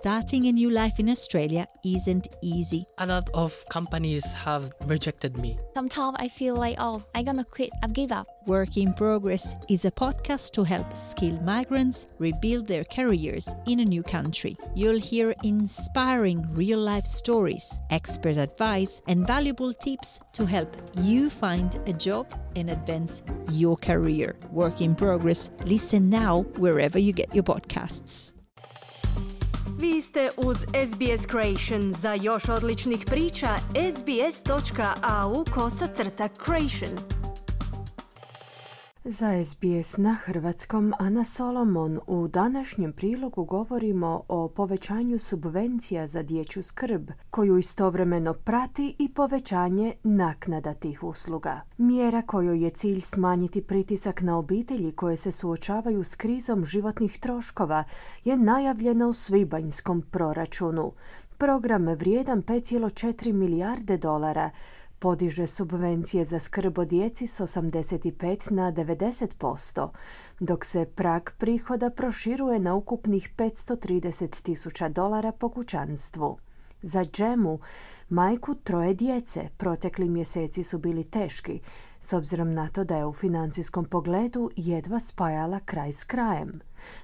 starting a new life in Australia isn't easy. A lot of companies have rejected me. Sometimes I feel like, I'm gonna quit, I've give up. Work in Progress is a podcast to help skilled migrants rebuild their careers in a new country. You'll hear inspiring real-life stories, expert advice, and valuable tips to help you find a job and advance your career. Work in Progress. Listen now wherever you get your podcasts. Vi ste uz SBS Creation. Za još odličnih priča, sbs.au/creation. Za SBS na hrvatskom Ana Solomon. U današnjem prilogu govorimo o povećanju subvencija za dječju skrb, koju istovremeno prati i povećanje naknada tih usluga. Mjera kojoj je cilj smanjiti pritisak na obitelji koje se suočavaju s krizom životnih troškova je najavljena u svibanjskom proračunu. Program vrijedan 5,4 milijarde dolara podiže subvencije za skrb o djeci s 85 na 90%, dok se prag prihoda proširuje na ukupnih $530,000 po kućanstvu. Za Džemu, majku troje djece, protekli mjeseci su bili teški, s obzirom na to da je u financijskom pogledu jedva spajala kraj s krajem.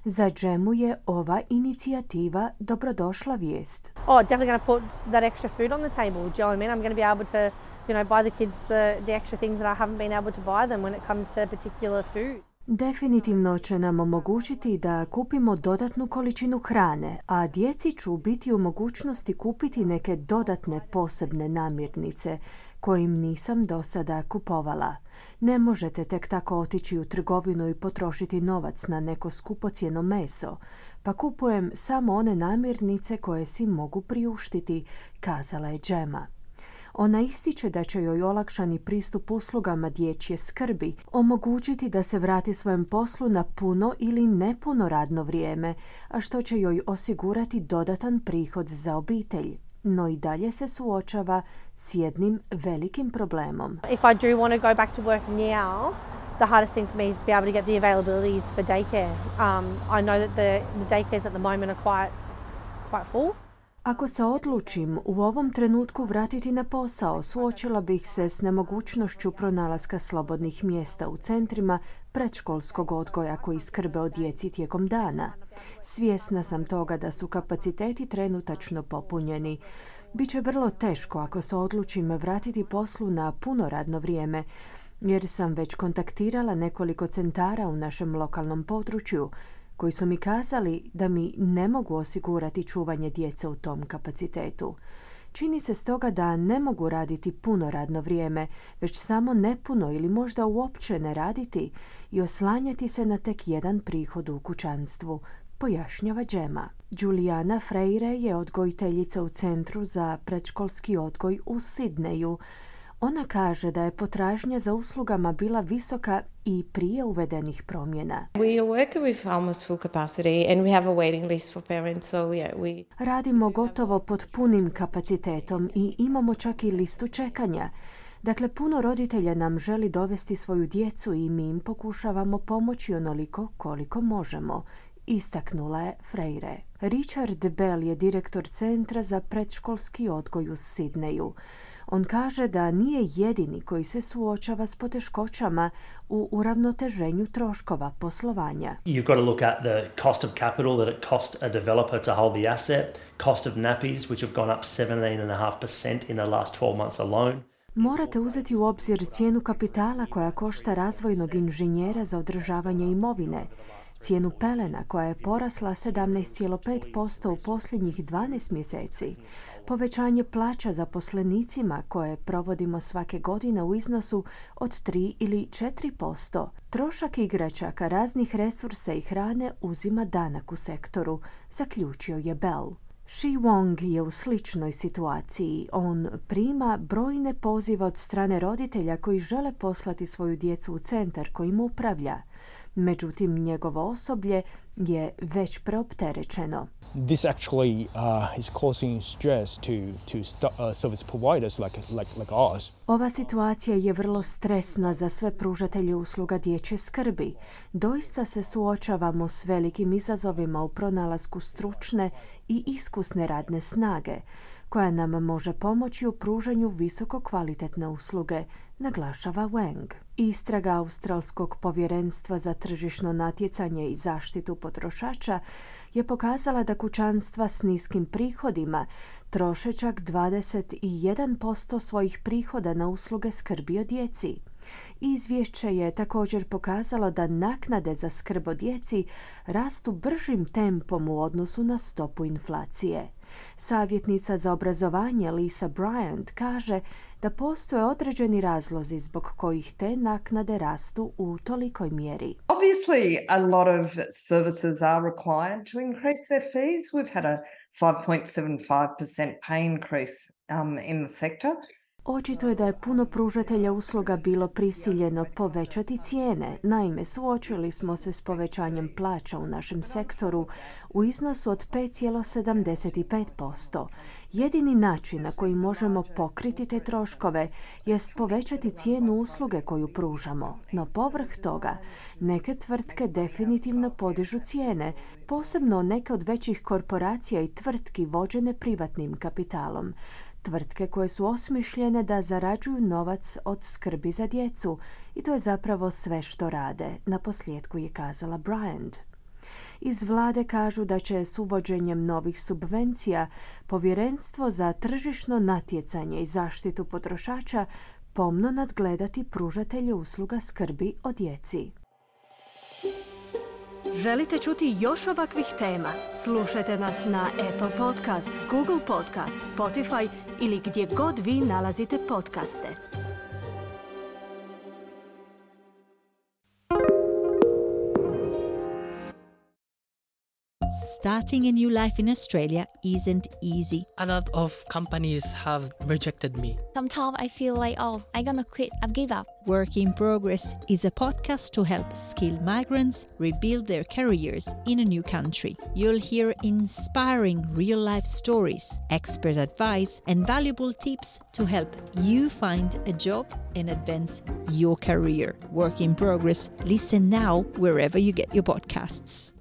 Za Džemu je ova inicijativa dobrodošla vijest. Definitely going to put that extra food on the table. Do you know what I mean? I'm going to be able to, buy the kids the extra things that I haven't been able to buy them when it comes to particular food. Definitivno će nam omogućiti da kupimo dodatnu količinu hrane, a djeci ću biti u mogućnosti kupiti neke dodatne posebne namirnice koje im nisam do sada kupovala. Ne možete tek tako otići u trgovinu i potrošiti novac na neko skupocjeno meso, pa kupujem samo one namirnice koje si mogu priuštiti, kazala je Džema. Ona ističe da će joj olakšani pristup uslugama dječje skrbi omogućiti da se vrati svojem poslu na puno ili nepuno radno vrijeme, a što će joj osigurati dodatan prihod za obitelj. No i dalje se suočava s jednim velikim problemom. If I do want to go back to work now, the hardest thing for me is to be able to get the availabilities for daycare. I know that the daycares at the moment are quite full. Ako se odlučim u ovom trenutku vratiti na posao, suočila bih se s nemogućnošću pronalaska slobodnih mjesta u centrima predškolskog odgoja koji skrbe o djeci tijekom dana. Svjesna sam toga da su kapaciteti trenutačno popunjeni. Biće vrlo teško ako se odlučim vratiti poslu na puno radno vrijeme, jer sam već kontaktirala nekoliko centara u našem lokalnom području koji su mi kazali da mi ne mogu osigurati čuvanje djece u tom kapacitetu. Čini se stoga da ne mogu raditi puno radno vrijeme, već samo nepuno ili možda uopće ne raditi i oslanjati se na tek jedan prihod u kućanstvu, pojašnjava Džema. Juliana Freire je odgojiteljica u Centru za predškolski odgoj u Sidneju. Ona kaže da je potražnja za uslugama bila visoka i prije uvedenih promjena. We work with almost full capacity and we have a waiting list for parents, so yeah, Radimo gotovo pod punim kapacitetom i imamo čak i listu čekanja. Dakle, puno roditelja nam želi dovesti svoju djecu i mi im pokušavamo pomoći onoliko koliko možemo, istaknula je Freire. Richard Bell je direktor Centra za predškolski odgoj u Sidneju. On kaže da nije jedini koji se suočava s poteškoćama u uravnoteženju troškova poslovanja. You've got to look at the cost of capital that it costs a developer to hold the asset, cost of nappies which have gone up 17.5% in the last 12 months alone. Morate uzeti u obzir cijenu kapitala koja košta razvojnog inženjera za održavanje imovine, cijenu pelena koja je porasla 17,5% u posljednjih 12 mjeseci, povećanje plaća zaposlenicima koje provodimo svake godine u iznosu od 3 ili 4%, trošak igračaka, raznih resursa i hrane uzima danak u sektoru, zaključio je Bell. Shi Wong je u sličnoj situaciji. On prima brojne pozive od strane roditelja koji žele poslati svoju djecu u centar kojim upravlja. Međutim, njegovo osoblje je već preopterećeno. This actually is causing stress to service providers like ours. Ova situacija je vrlo stresna za sve pružatelje usluga dječje skrbi. Doista se suočavamo s velikim izazovima u pronalasku stručne i iskusne radne snage, koja nam može pomoći u pružanju visoko kvalitetne usluge, naglašava Wang. Istraga Australskog povjerenstva za tržišno natjecanje i zaštitu potrošača je pokazala da kućanstva s niskim prihodima troše čak 21% svojih prihoda na usluge skrbi o djeci. Izvješće je također pokazalo da naknade za skrb o djeci rastu bržim tempom u odnosu na stopu inflacije. Savjetnica za obrazovanje Lisa Bryant kaže da postoje određeni razlozi zbog kojih te naknade rastu u tolikoj mjeri. Obviously, a lot of services are required to increase their fees. We've had a 5.75% pay increase in the sector. Očito je da je puno pružatelja usluga bilo prisiljeno povećati cijene. Naime, suočili smo se s povećanjem plaća u našem sektoru u iznosu od 5,75%. Jedini način na koji možemo pokriti te troškove jest povećati cijenu usluge koju pružamo. No povrh toga, neke tvrtke definitivno podižu cijene, posebno neke od većih korporacija i tvrtki vođene privatnim kapitalom. Tvrtke koje su osmišljene da zarađuju novac od skrbi za djecu i to je zapravo sve što rade, naposljetku je kazala Bryant. Iz vlade kažu da će s uvođenjem novih subvencija Povjerenstvo za tržišno natjecanje i zaštitu potrošača pomno nadgledati pružatelje usluga skrbi o djeci. Želite čuti još ovakvih tema? Slušajte nas na Apple Podcast, Google Podcast, Spotify ili gdje god vi nalazite podcaste. Starting a new life in Australia isn't easy. A lot of companies have rejected me. Sometimes I feel like, I'm gonna quit, I've give up. Work in Progress is a podcast to help skilled migrants rebuild their careers in a new country. You'll hear inspiring real-life stories, expert advice, and valuable tips to help you find a job and advance your career. Work in Progress. Listen now wherever you get your podcasts.